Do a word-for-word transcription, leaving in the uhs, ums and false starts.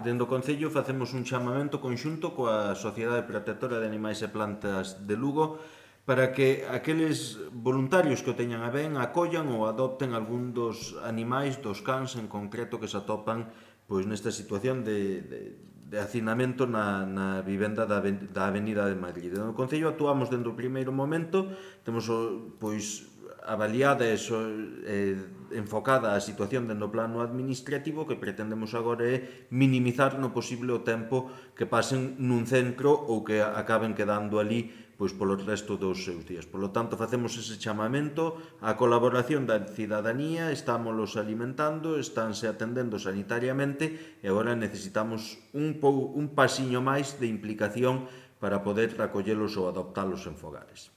Dende o Concello facemos un chamamento conxunto coa Sociedade Protectora de Animais e Plantas de Lugo para que aqueles voluntarios que o teñan a ben acollan ou adopten algún dos animais, dos cans en concreto que se atopan pois nesta situación de, de, de hacinamento na, na vivenda da, da Avenida de Madrid. No Concello actuamos dende o primeiro momento, temos o, pois avaliada e so, eh, enfocada a situación dentro do plano administrativo, que pretendemos agora é minimizar no posible o tempo que pasen nun centro ou que acaben quedando ali pois polo resto dos seus días. Por lo tanto, facemos ese chamamento á colaboración da cidadanía, estámolos alimentando, estánse atendendo sanitariamente e agora necesitamos un, pou, un pasiño máis de implicación para poder acollelos ou adoptalos en fogares.